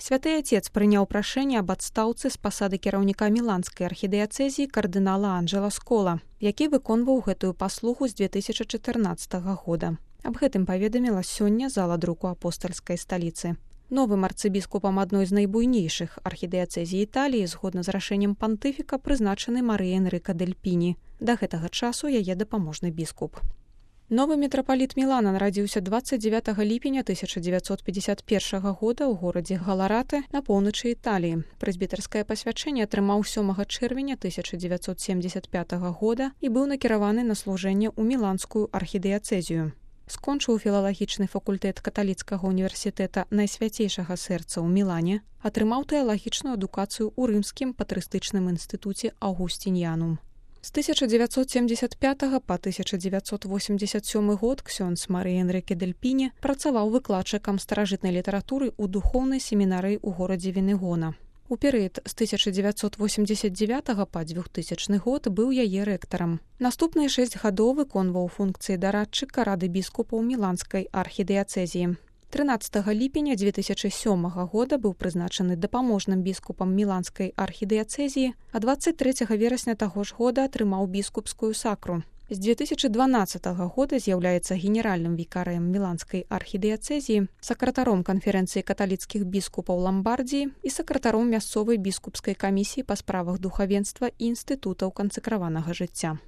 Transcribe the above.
Святы Отец прыняў прашэнне аб адстаўцы з пасады кіраўніка міланскай архідыяцэзіі кардынала Анджела Скола, які выконваў гэтую паслугу з 2014 года. Аб гэтым паведаміла сёння зала друку апостальскай сталіцы. Новым арцыбіскупам адной з найбуйнейшых архідыяцэзій Італіі згодна з рашэннем пантыфіка прызначаны Марыя Энрыка Дэль Піні. Да гэтага часу яе дапаможны біскуп. Новы мітрапаліт Мілана нарадзіўся 29 ліпеня 1951 года ў горадзе Галараты на поўначы Італіі. Прэзбітарскае пасвячэнне атрымаў 7 чэрвеня 1975 года і быў накіраваны на служэнне ў міланскую архідыяцэзію. Скончыў філалагічны факультэт каталіцкага універсітэта Найсвяцейшага сэрца ў Мілане, атрымаў тэалагічную адукацыю ў рымскім патрыстычным інстытуце Аўгусціньянум. З 1975 па 1987 год ксёндз Марыя Энрыке Дэль Піні працаваў выкладчыкам старажытнай літаратуры ў духоўнай семінарыі ў горадзе Венегона. У перыяд з 1989 па 2000 год быў яе рэктарам. Наступныя 6 гадоў выконваў функцыі дарадчыка рады біскупаў міланскай архідыяцэзіі. 13 ліпеня 2007 года быў прызначаны дапаможным біскупам міланскай архідыяцэзіі, а 23 верасня таго ж года атрымаў біскупскую сакру. З 2012 года з'яўляецца генеральным вікарыем міланскай архідыяцэзіі, сакратаром канферэнцыі каталіцкіх біскупаў Ламбардіі і сакратаром мясцовай біскупскай камісіі па справах духавенства і інстытутаў кансакраванага жыцця.